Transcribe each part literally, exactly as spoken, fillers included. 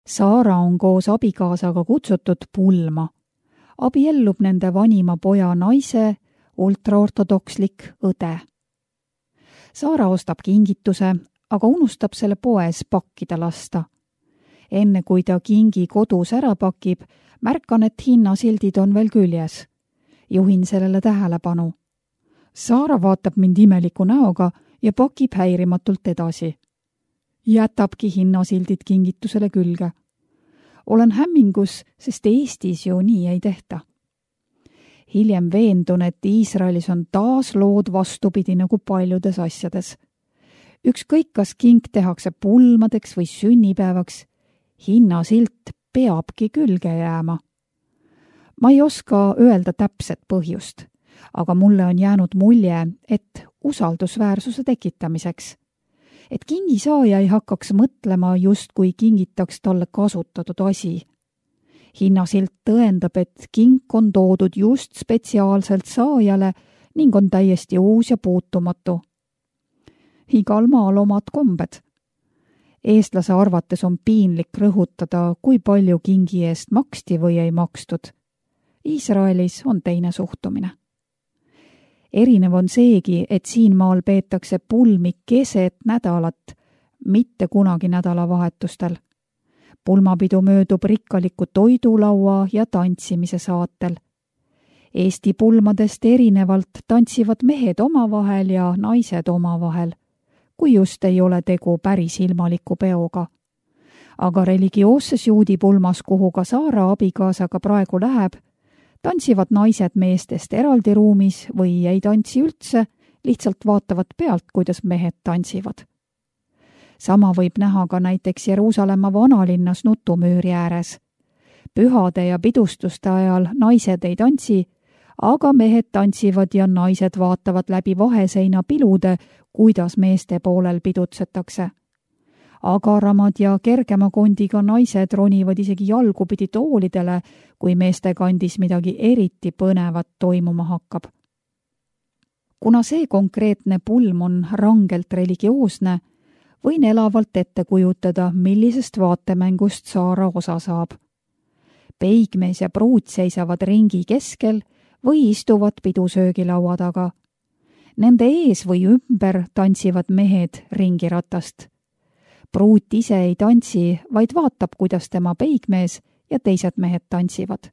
Saara on koos abikaasaga kutsutud pulma. Abiellub nende vanima poja naise ultraortodokslik õde. Saara ostab kingituse, aga unustab selle poes pakkida lasta. Enne kui ta kingi kodus ära pakib, märkan, et hinnasildid on veel küljes. Juhin sellele tähelepanu. Saara vaatab mind imeliku näoga ja pakib häirimatult edasi. Jätabki hinnasildid kingitusele külge. Olen hämmingus, sest Eestis ju nii ei tehta. Hiljem veendun, et Iisraelis on taas lood vastupidi nagu paljudes asjades. Ükskõik, kas kink tehakse pulmadeks või sünnipäevaks, hinnasilt peabki külge jääma. Ma ei oska öelda täpset põhjust, aga mulle on jäänud mulje, et usaldusväärsuse tekitamiseks. Et kingisaaja ei hakkaks mõtlema, just kui kingitaks talle kasutatud asi. Hinnasilt tõendab, et kink on toodud just spetsiaalselt saajale ning on täiesti uus ja puutumatu. Igal maal omad kombed. Eestlase arvates on piinlik rõhutada, kui palju kingi eest maksti või ei makstud. Iisraelis on teine suhtumine. Erinev on seegi, et siin maal peetakse pulmi keset nädalat, mitte kunagi nädalavahetustel. Pulmapidu möödub rikkaliku toidulaua ja tantsimise saatel. Eesti pulmadest erinevalt tantsivad mehed omavahel ja naised omavahel, kui just ei ole tegu päris ilmaliku peoga. Aga religioosses juudi pulmas, kuhu ka Saara abikaasaga praegu läheb, tantsivad naised meestest eraldi ruumis või ei tantsi üldse, lihtsalt vaatavad pealt, kuidas mehed tantsivad. Sama võib näha ka näiteks Jeruusalemma vanalinnas nutumüüri ääres. Pühade ja pidustuste ajal naised ei tantsi, aga mehed tantsivad ja naised vaatavad läbi vaheseina pilude, kuidas meeste poolel pidutsetakse. Agaramad ja kergema kondiga naised ronivad isegi jalgupidi toolidele, kui meeste kandis midagi eriti põnevat toimuma hakkab. Kuna see konkreetne pulm on rangelt religioosne, võin elavalt ette kujutada, millisest vaatemängust Saara osa saab. Peigmees ja pruut seisavad ringi keskel või istuvad pidusöögilaua taga. Nende ees või ümber tantsivad mehed ringiratast. Pruut ise ei tantsi, vaid vaatab, kuidas tema peigmees ja teised mehed tantsivad.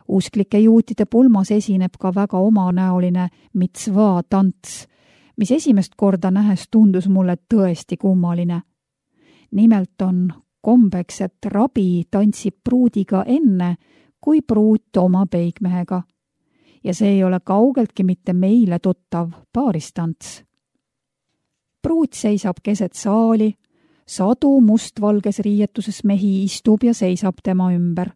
Usklike juutide pulmas esineb ka väga omanäoline mitzvaa tants, mis esimest korda nähes tundus mulle tõesti kummaline. Nimelt on kombeks, et rabi tantsib pruudiga enne, kui pruut oma peigmehega. Ja see ei ole kaugeltki mitte meile tuttav paaristants. Pruut seisab keset saali, sadu mustvalges riietuses mehi istub ja seisab tema ümber.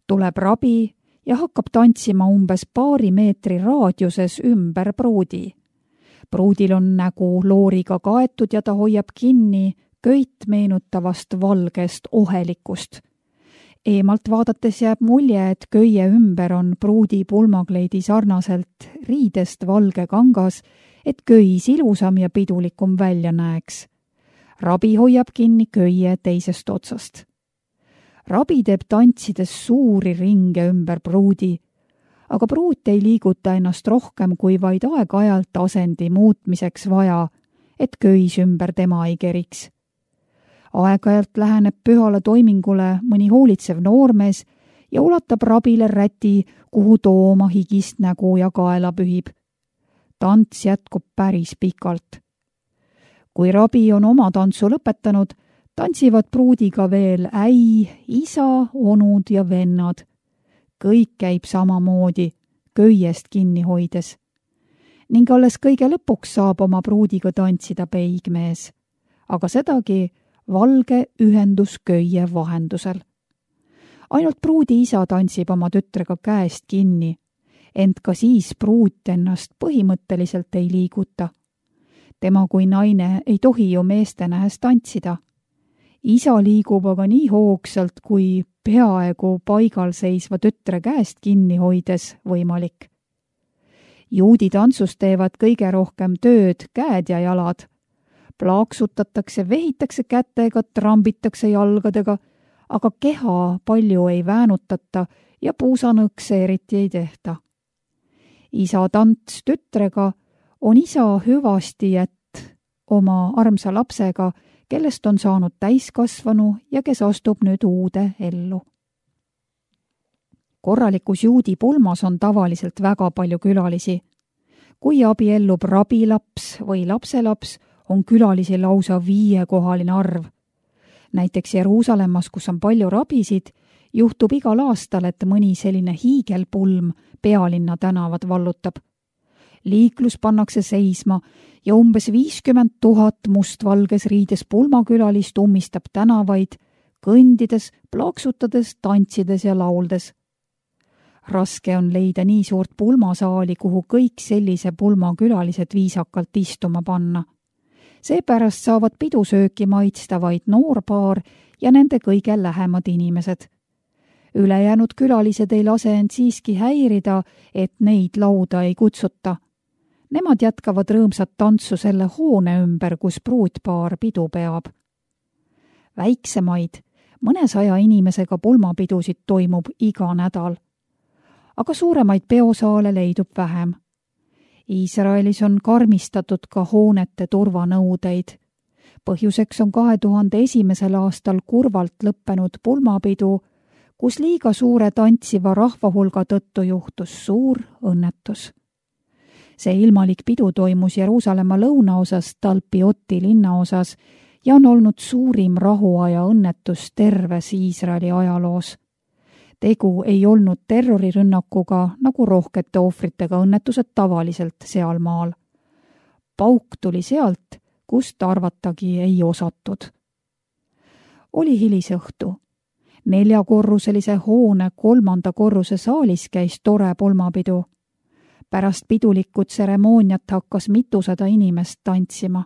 Tuleb rabi ja hakkab tantsima umbes paari meetri raadiuses ümber pruudi. Pruudil on nägu looriga kaetud ja ta hoiab kinni köit meenutavast valgest ohelikust. Eemalt vaadates jääb mulje, et köie ümber on pruudi pulmakleidi sarnaselt riidest valge kangas, et köis ilusam ja pidulikum välja näeks. Rabi hoiab kinni köie teisest otsast. Rabi teeb tantsides suuri ringe ümber pruudi, aga pruut ei liiguta ennast rohkem kui vaid aeg-ajalt asendi muutmiseks vaja, et köis ümber tema ei keriks. Aeg-ajalt läheneb pühale toimingule mõni hoolitsev noormees ja ulatab rabile räti, kuhu too oma higist nägu ja kaela pühib. Tants jätkub päris pikalt. Kui rabi on oma tantsu lõpetanud, tantsivad pruudiga veel äi, isa, onud ja vennad. Kõik käib samamoodi, köiest kinni hoides. Ning alles kõige lõpuks saab oma pruudiga tantsida peigmees, aga sedagi valge ühendus köie vahendusel. Ainult pruudi isa tantsib oma tütrega käest kinni, ent ka siis pruut ennast põhimõtteliselt ei liiguta. Tema kui naine ei tohi ju meeste nähes tantsida. Isa liigub aga nii hoogsalt, kui peaaegu paigal seisva tütre käest kinni hoides võimalik. Juudi tantsus teevad kõige rohkem tööd käed ja jalad. Plaaksutatakse, vehitakse kätega, trambitakse jalgadega, aga keha palju ei väänutata ja puusanõkse eriti ei tehta. Isa tants tütrega on isa hüvasti jätt oma armsa lapsega, kellest on saanud täiskasvanu ja kes astub nüüd uude ellu. Korralikus juudi pulmas on tavaliselt väga palju külalisi. Kui abiellub rabilaps või lapselaps, on külalisi lausa viiekohaline arv. Näiteks Jeruusalemmas, kus on palju rabisid, juhtub igal aastal, et mõni selline hiigelpulm pealinna tänavad vallutab. Liiklus pannakse seisma ja umbes viiskümmend tuhat mustvalges riides pulmakülalist ummistab tänavaid, kõndides, plaksutades, tantsides ja lauldes. Raske on leida nii suurt pulmasaali, kuhu kõik sellise pulmakülalised viisakalt istuma panna. Seepärast saavad pidusööki maitsta vaid noorpaar ja nende kõige lähemad inimesed. Ülejäänud külalised ei lase end siiski häirida, et neid lauda ei kutsuta. Nemad jätkavad rõõmsat tantsu selle hoone ümber, kus pruutpaar pidu peab. Väiksemaid, mõnesaja inimesega pulmapidusid toimub iga nädal. Aga suuremaid peosaale leidub vähem. Iisraelis on karmistatud ka hoonete turvanõudeid. Põhjuseks on kahe tuhande esimesel aastal kurvalt lõppenud pulmapidu, kus liiga suure tantsiva rahvahulga tõttu juhtus suur õnnetus. See ilmalik pidu toimus Jeruusalemma lõunaosas Talpioti linnaosas ja on olnud suurim rahuaja õnnetus terves Iisraeli ajaloos. Tegu ei olnud terrorirünnakuga, nagu rohkete ohvritega õnnetused tavaliselt sealmaal. Pauk tuli sealt, kust arvatagi ei osatud. Oli hilisõhtu. Neljakorruselise hoone kolmanda korruse saalis käis tore pulmapidu. Pärast pidulikku tseremooniat hakkas mitusada inimest tantsima.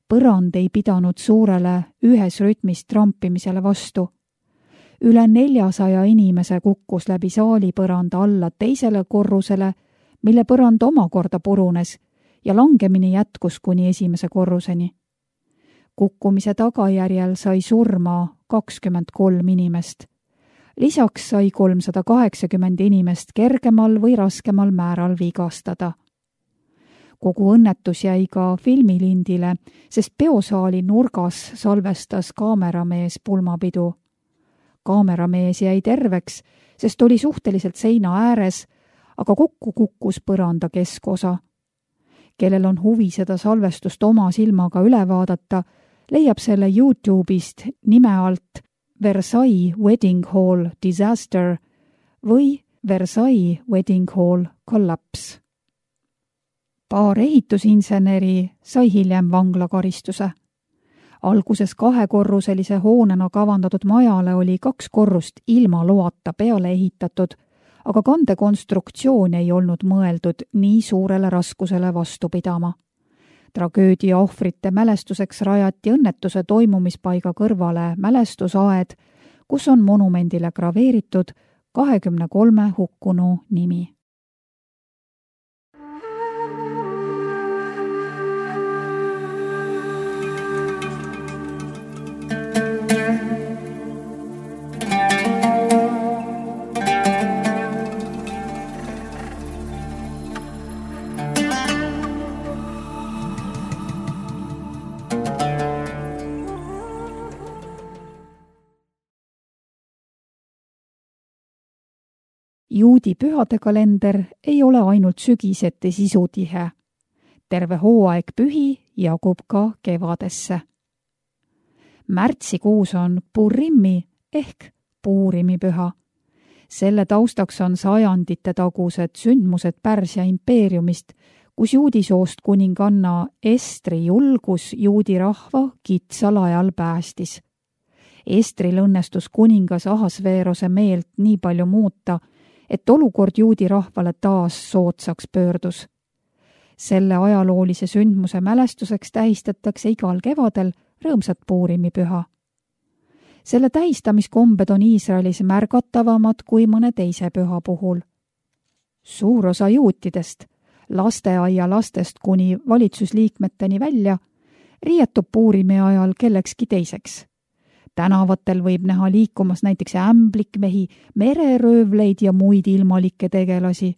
Põrand ei pidanud suurele ühes rütmis trampimisele vastu. Üle neljasaja inimese kukkus läbi saali põranda alla teisele korrusele, mille põrand omakorda purunes ja langemine jätkus kuni esimese korruseni. Kukkumise tagajärjel sai surma kakskümmend kolm inimest. Lisaks sai kolmsada kaheksakümmend inimest kergemal või raskemal määral vigastada. Kogu õnnetus jäi ka filmilindile, sest peosaali nurgas salvestas kaameramees pulmapidu. Kaameramees jäi terveks, sest oli suhteliselt seina ääres, aga kokku kukkus põranda keskosa. Kellel on huvi seda salvestust oma silmaga üle vaadata, leiab selle YouTube'ist nime alt Versailles Wedding Hall Disaster või Versailles Wedding Hall Collapse. Paar ehitusinseneri sai hiljem vanglakaristuse. Alguses kahekorruselise hoonena kavandatud majale oli kaks korrust ilma loata peale ehitatud, aga kandekonstruktsioon ei olnud mõeldud nii suurele raskusele vastu pidama. Tragöödia ohvrite mälestuseks rajati õnnetuse toimumispaiga kõrvale mälestusaed, kus on monumendile graveeritud kahekümne kolme hukkunu nimi. Juudi pühade kalender ei ole ainult sügiseti sisutihe. Terve hooaeg pühi jagub ka kevadesse. Märtsikuus on Purimi ehk Puurimi püha. Selle taustaks on sajandite tagused sündmused Pärsia impeeriumist, kus juudisoost kuninganna Estri julgus juudi rahva kitsal ajal päästis. Estril õnnestus kuningas Ahasveerose meelt nii palju muuta, et olukord juudi rahvale taas soodsaks pöördus. Selle ajaloolise sündmuse mälestuseks tähistatakse igal kevadel rõõmsat Puurimi püha. Selle tähistamiskombed on Iisraelis märgatavamad kui mõne teise püha puhul. Suur osa juutidest, lasteaia lastest kuni valitsusliikmeteni välja, riietub Puurimi ajal kellekski teiseks. Tänavatel võib näha liikumas näiteks ämblikmehi, mereröövleid ja muid ilmalikke tegelasi.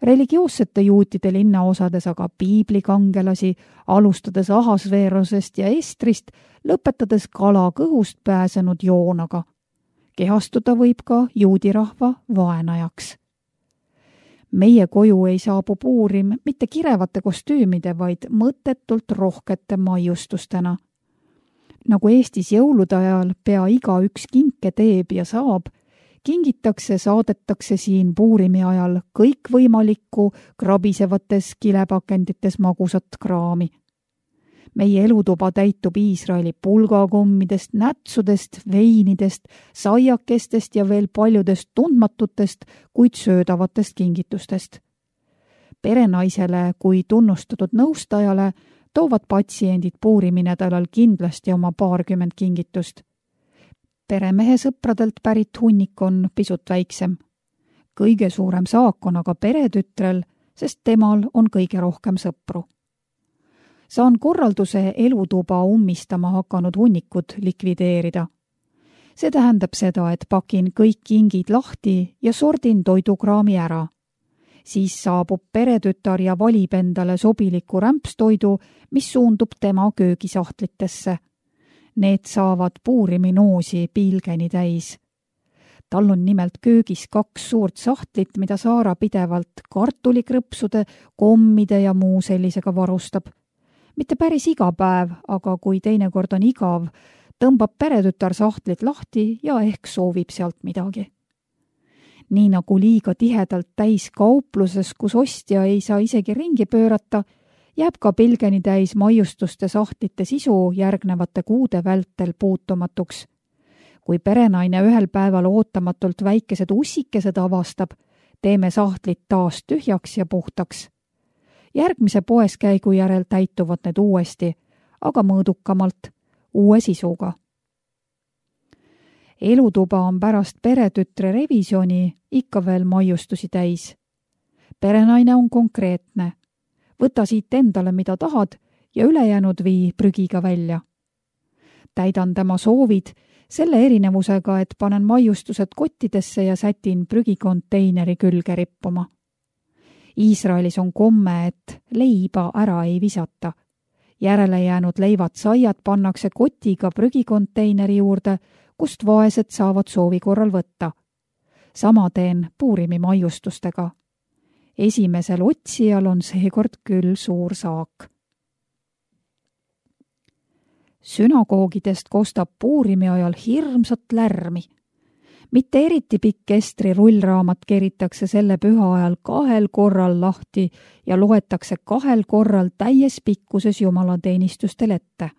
Religioossete juutide linnaosades aga piiblikangelasi, alustades Ahasveerosest ja Estrist, lõpetades kala kõhust pääsenud Joonaga. Kehastuda võib ka juudirahva vaenajaks. Meie koju ei saabu Puurim mitte kirevate kostüümide, vaid mõttetult rohkete maiustustena. Nagu Eestis jõulude ajal pea iga üks kinke teeb ja saab, kingitakse, saadetakse siin Puurimi ajal kõikvõimalikku krabisevates kilepakendites magusat kraami. Meie elutuba täitub Iisraeli pulgakommidest, nätsudest, veinidest, saiakestest ja veel paljudest tundmatutest, kuid söödavatest kingitustest. Perenaisele kui tunnustatud nõustajale toovad patsiendid Puurimi nädalal kindlasti oma paarkümmend kingitust. Peremehe sõpradelt pärit hunnik on pisut väiksem. Kõige suurem saak on aga peretütrel, sest temal on kõige rohkem sõpru. Saan korralduse elutuba ummistama hakanud hunnikud likvideerida. See tähendab seda, et pakin kõik kingid lahti ja sordin toidukraami ära. Siis saabub peretütar ja valib endale sobiliku rämpstoidu, mis suundub tema köögisahtlitesse. Need saavad Puurimi noosi piilgeni täis. Tal on nimelt köögis kaks suurt sahtlit, mida Saara pidevalt kartulikrõpsude, kommide ja muu sellisega varustab. Mitte päris iga päev, aga kui teinekord on igav, tõmbab peretütar sahtlit lahti ja ehk soovib sealt midagi. Nii nagu liiga tihedalt täis kaupluses, kus ostja ei saa isegi ringi pöörata, jääb ka pilgeni täis maiustuste sahtlite sisu järgnevate kuude vältel puutumatuks. Kui perenaine ühel päeval ootamatult väikesed ussikesed avastab, teeme sahtlid taas tühjaks ja puhtaks. Järgmise poeskäigu järel täituvad need uuesti, aga mõõdukamalt, uue sisuga. Elutuba on pärast peretütre revisjoni ikka veel maiustusi täis. Perenaine on konkreetne. Võta siit endale, mida tahad, ja ülejäänud vii prügiga välja. Täidan tema soovid selle erinevusega, et panen maiustused kottidesse ja sätin prügikonteineri külge rippuma. Iisraelis on komme, et leiba ära ei visata. Järele jäänud leivad saiad pannakse kotiga prügikonteineri juurde, kust vaesed saavad soovi korral võtta. Sama teen Puurimi maiustustega. Esimesel otsijal on seekord küll suur saak. Sünagoogidest kostab Puurimi ajal hirmsat lärmi. Mitte eriti pikk Estri rullraamat keritakse selle püha ajal kahel korral lahti ja loetakse kahel korral täies pikkuses jumalateenistustel ette.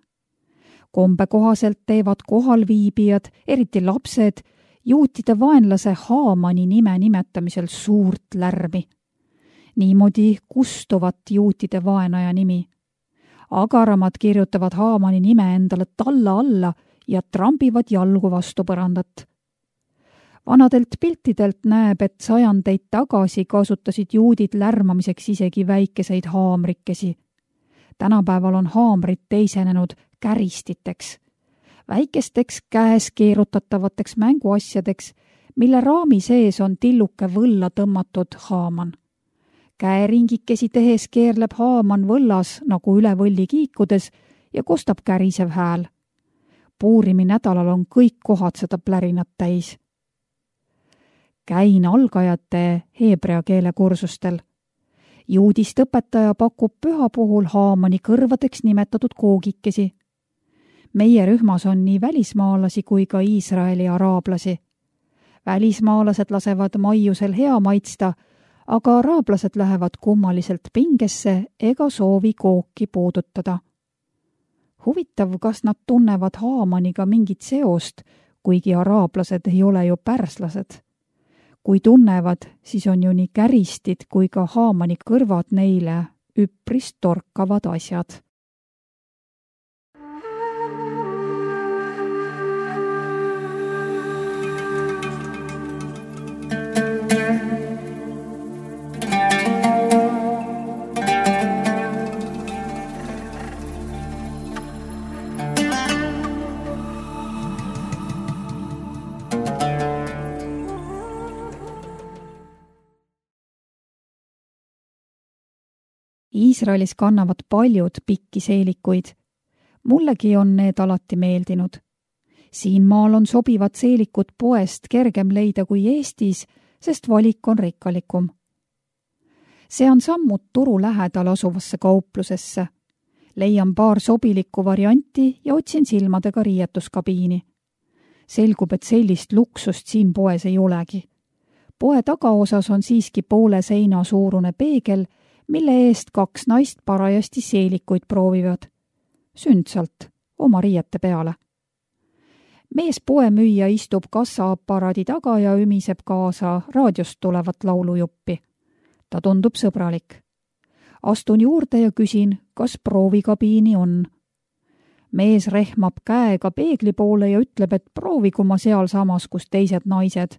Kombe kohaselt teevad kohalviibijad, eriti lapsed, juutide vaenlase Haamani nime nimetamisel suurt lärmi. Niimoodi kustuvat juutide vaenaja nimi. Agaramad kirjutavad Haamani nime endale talla alla ja trambivad jalgu vastu põrandat. Vanadelt piltidelt näeb, et sajandeid tagasi kasutasid juudid lärmamiseks isegi väikeseid haamrikesi. Tänapäeval on haamrid teisenenud käristiteks, väikesteks käes keerutatavateks mänguasjadeks, mille raami sees on tilluke võlla tõmmatud haaman. Käeringikesi tehes keerleb haaman võllas nagu üle võlli kiikudes ja kostab kärisev hääl. Puurimi nädalal on kõik kohad seda plärinat täis. Käin algajate heebrea keele kursustel. Juudist õpetaja pakub püha puhul Haamani kõrvadeks nimetatud koogikesi. Meie rühmas on nii välismaalasi kui ka Iisraeli araablasi. Välismaalased lasevad maiusel hea maitsta, aga araablased lähevad kummaliselt pingesse ega soovi kooki puudutada. Huvitav, kas nad tunnevad Haamaniga mingit seost, kuigi araablased ei ole ju pärslased. Kui tunnevad, siis on ju nii käristid kui ka Haamani kõrvad neile üpris torkavad asjad. Iisraelis kannavad paljud pikki seelikuid. Mullegi on need alati meeldinud. Siin maal on sobivad seelikud poest kergem leida kui Eestis, sest valik on rikkalikum. See on sammud turu lähedal asuvasse kauplusesse. Leian paar sobilikku varianti ja otsin silmadega riietuskabiini. Selgub, et sellist luksust siin poes ei olegi. Poe tagaosas on siiski poole seina suurune peegel, mille eest kaks naist parajasti seelikuid proovivad. Sündsalt, oma riiete peale. Mees poemüüja istub kassaaparaadi taga ja ümiseb kaasa raadiost tulevat laulujuppi. Ta tundub sõbralik. Astun juurde ja küsin, kas proovikabiini on. Mees rehmab käega peegli poole ja ütleb, et proovigu ma seal samas, kus teised naised.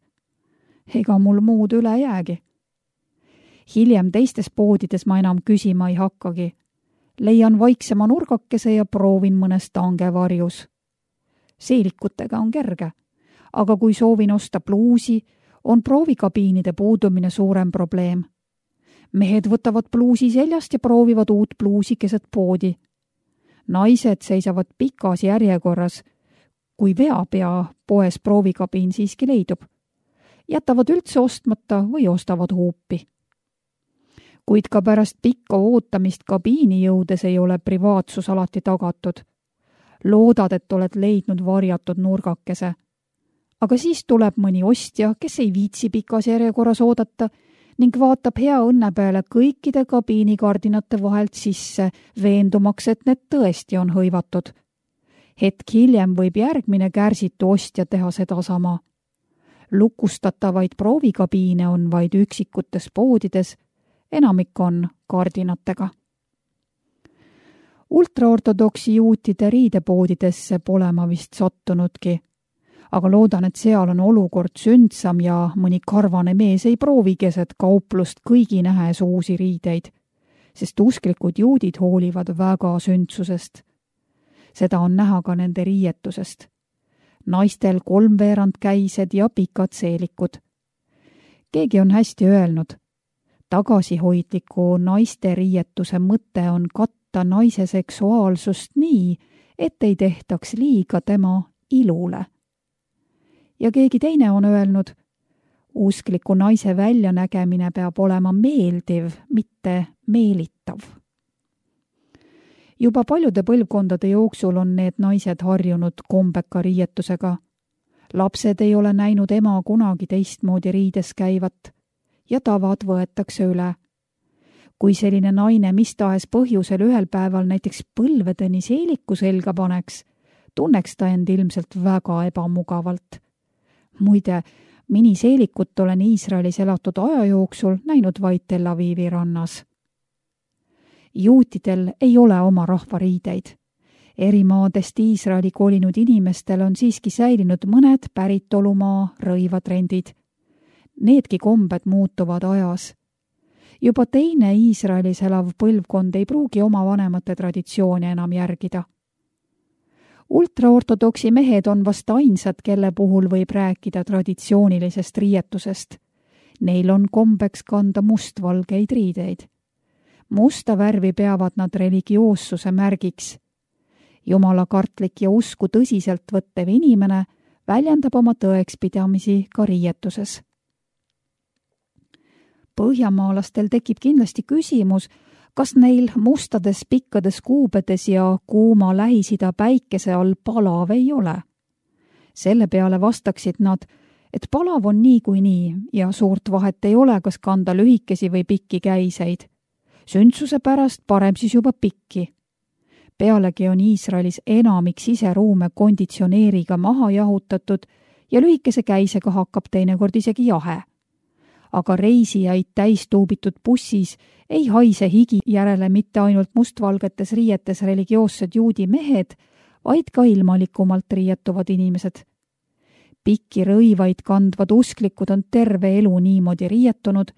Ega mul muud üle jäägi. Hiljem teistes poodides ma enam küsima ei hakkagi. Leian vaiksema nurgakese ja proovin mõnes tange varjus. Seelikutega on kerge, aga kui soovin osta pluusi, on proovikabiinide puudumine suurem probleem. Mehed võtavad pluusi seljast ja proovivad uut pluusi keset poodi. Naised seisavad pikas järjekorras, kui veab ja poes proovikabiin siiski leidub. Jätavad üldse ostmata või ostavad huupi. Kuid ka pärast pikka ootamist kabiini jõudes ei ole privaatsus alati tagatud. Loodad, et oled leidnud varjatud nurgakese. Aga siis tuleb mõni ostja, kes ei viitsi pikas järjekorras oodata ning vaatab hea õnne peale kõikide kabiinikardinate vahelt sisse, veendumaks, et need tõesti on hõivatud. Hetk hiljem võib järgmine kärsitu ostja teha sedasama. Lukustatavaid proovikabiine on vaid üksikutes poodides, enamik on kardinatega. Ultraortodoksi juutide riidepoodidesse pole ma vist sattunudki, aga loodan, et seal on olukord sündsam ja mõni karvane mees ei proovi keset kauplust kõigi nähes uusi riideid, sest usklikud juudid hoolivad väga sündsusest. Seda on näha ka nende riietusest. Naistel kolmveerand käised ja pikad seelikud. Keegi on hästi öelnud, tagasihoidliku naiste riietuse mõte on katta naise seksuaalsust nii, et ei tehtaks liiga tema ilule. Ja keegi teine on öelnud, uskliku naise väljanägemine peab olema meeldiv, mitte meelitav. Juba paljude põlvkondade jooksul on need naised harjunud kombeka riietusega. Lapsed ei ole näinud ema kunagi teistmoodi riides käivat ja tavad võetakse üle. Kui selline naine mis tahes põhjusel ühel päeval näiteks põlvedeni seeliku selga paneks, tunneks ta end ilmselt väga ebamugavalt. Muide, miniseelikut olen Iisraelis elatud aja jooksul näinud vaid Tel Avivi rannas. Juutidel ei ole oma rahvariideid. Eri maadest Iisraeli kolinud inimestel on siiski säilinud mõned päritolumaa rõivatrendid. Needki kombed muutuvad ajas. Juba teine Iisraelis elav põlvkond ei pruugi oma vanemate traditsioone enam järgida. Ultraortodoksi mehed on vast ainsad, kelle puhul võib rääkida traditsioonilisest riietusest. Neil on kombeks kanda mustvalgeid riideid. Musta värvi peavad nad religioossuse märgiks. Jumalakartlik ja usku tõsiselt võttev inimene väljendab oma tõekspidamisi ka riietuses. Põhjamaalastel tekib kindlasti küsimus, kas neil mustades pikkades kuubedes ja kuuma Lähis-Ida päikese all palav ei ole. Selle peale vastaksid nad, et palav on nii kui nii ja suurt vahet ei ole, kas kanda lühikesi või pikki käiseid. Sündsuse pärast parem siis juba pikki. Pealegi on Iisraelis enamik siseruume konditsioneeriga maha jahutatud ja lühikese käisega hakkab teinekord isegi jahe. Aga reisijaid täistuubitud bussis ei haise higi järele mitte ainult mustvalgetes riietes religioossed juudi mehed, vaid ka ilmalikumalt riietuvad inimesed. Pikki rõivaid kandvad usklikud on terve elu niimoodi riietunud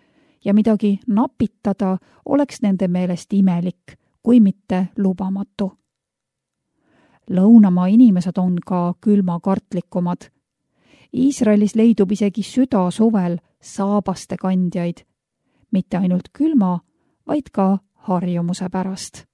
ja midagi napitada oleks nende meelest imelik, kui mitte lubamatu. Lõunamaa inimesed on ka külmakartlikumad. Iisraelis leidub isegi süda suvel saabaste kandjaid, mitte ainult külma, vaid ka harjumuse pärast.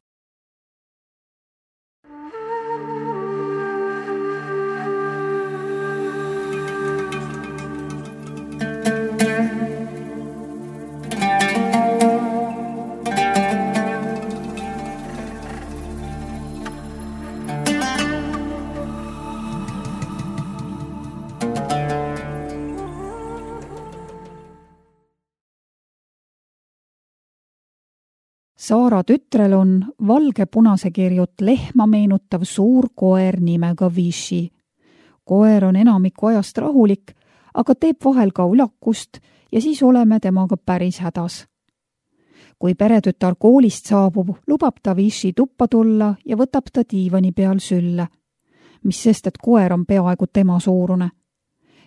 Saara tütrel on valge-punase kirjut lehma meenutav suur koer nimega Vichy. Koer on enamiku ajast rahulik, aga teeb vahel ka ulakust ja siis oleme temaga päris hädas. Kui peretütar koolist saabub, lubab ta Vichy tuppa tulla ja võtab ta diivani peal sülle, mis sest, et koer on peaaegu tema suurune.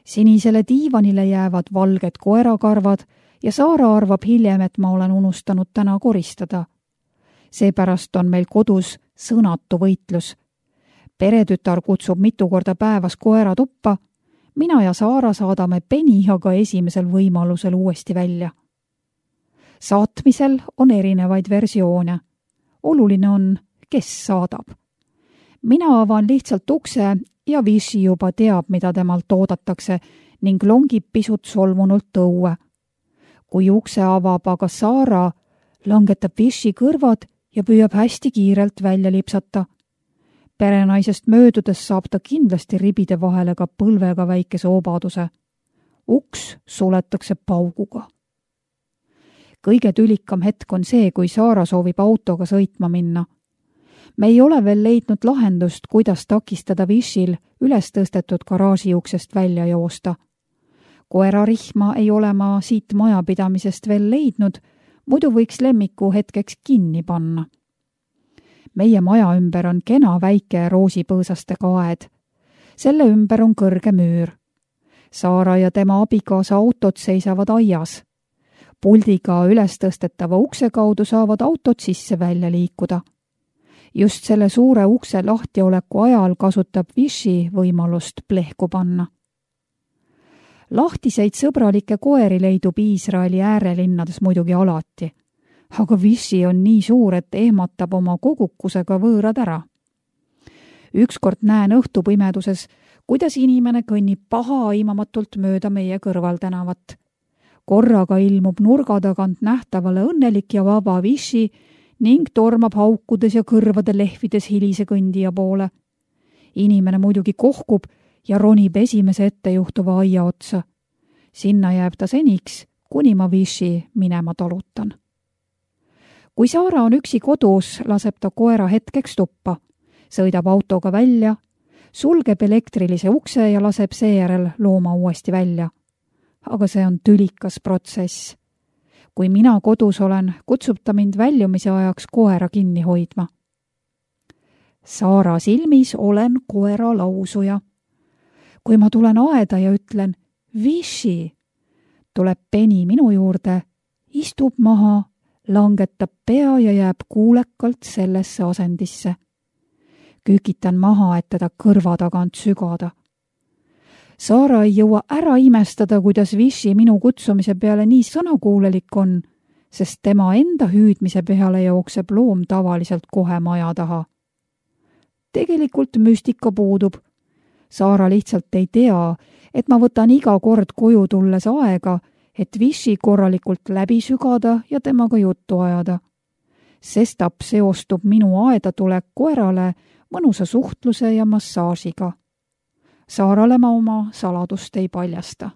Sinisele diivanile jäävad valged koerakarvad ja Saara arvab hiljem, et ma olen unustanud täna koristada. Seepärast on meil kodus sõnatu võitlus. Peretütar kutsub mitu korda päevas koera tuppa, mina ja Saara saadame peni aga esimesel võimalusel uuesti välja. Saatmisel on erinevaid versioone. Oluline on, kes saadab. Mina avan lihtsalt ukse ja Vichy juba teab, mida temalt oodatakse ning longib pisut solvunult õue. Kui ukse avab aga Saara, langetab Vichy kõrvad ja püüab hästi kiirelt välja lipsata. Perenaisest möödudes saab ta kindlasti ribide vahele ka põlvega väikese obaduse. Uks suletakse pauguga. Kõige tülikam hetk on see, kui Saara soovib autoga sõitma minna. Me ei ole veel leidnud lahendust, kuidas takistada Vichyl üles tõstetud garaaži uksest välja joosta. Koerarihma ei ole ma siit majapidamisest veel leidnud, muidu võiks lemmiku hetkeks kinni panna. Meie maja ümber on kena väike roosipõõsastega aed. Selle ümber on kõrge müür. Saara ja tema abikaasa autod seisavad aias. Puldiga üles tõstetava ukse kaudu saavad autod sisse välja liikuda. Just selle suure ukse lahtioleku ajal kasutab Vichy võimalust plehku panna. Lahtiseid sõbralikke koeri leidub Iisraeli äärelinnades muidugi alati, aga Vichy on nii suur, et ehmatab oma kogukusega võõrad ära. Ükskord näen õhtupimeduses, kuidas inimene kõnnib pahaaimamatult mööda meie kõrvaltänavat. Korraga ilmub nurga tagant nähtavale õnnelik ja vaba Vichy ning tormab haukudes ja kõrvade lehvides hilise kõndija poole. Inimene muidugi kohkub ja ronib esimese ette juhtuva aia otsa. Sinna jääb ta seniks, kuni ma Vichy minema talutan. Kui Saara on üksi kodus, laseb ta koera hetkeks tuppa, sõidab autoga välja, sulgeb elektrilise ukse ja laseb seejärel looma uuesti välja. Aga see on tülikas protsess. Kui mina kodus olen, kutsub ta mind väljumise ajaks koera kinni hoidma. Saara silmis olen koera lausuja. Kui ma tulen aeda ja ütlen Vichy, tuleb peni minu juurde, istub maha, langetab pea ja jääb kuulekalt sellesse asendisse. Kükitan maha, et teda kõrva tagant sügada. Saara ei jõua ära imestada, kuidas Vichy minu kutsumise peale nii sõnakuulelik on, sest tema enda hüüdmise peale jookseb loom tavaliselt kohe maja taha. Tegelikult müstika puudub. Saara lihtsalt ei tea, et ma võtan iga kord koju tulles aega, et Vichy korralikult läbi sügada ja temaga juttu ajada. Sestap seostub minu aeda tulek koerale mõnusa suhtluse ja massaažiga. Saarale ma oma saladust ei paljasta.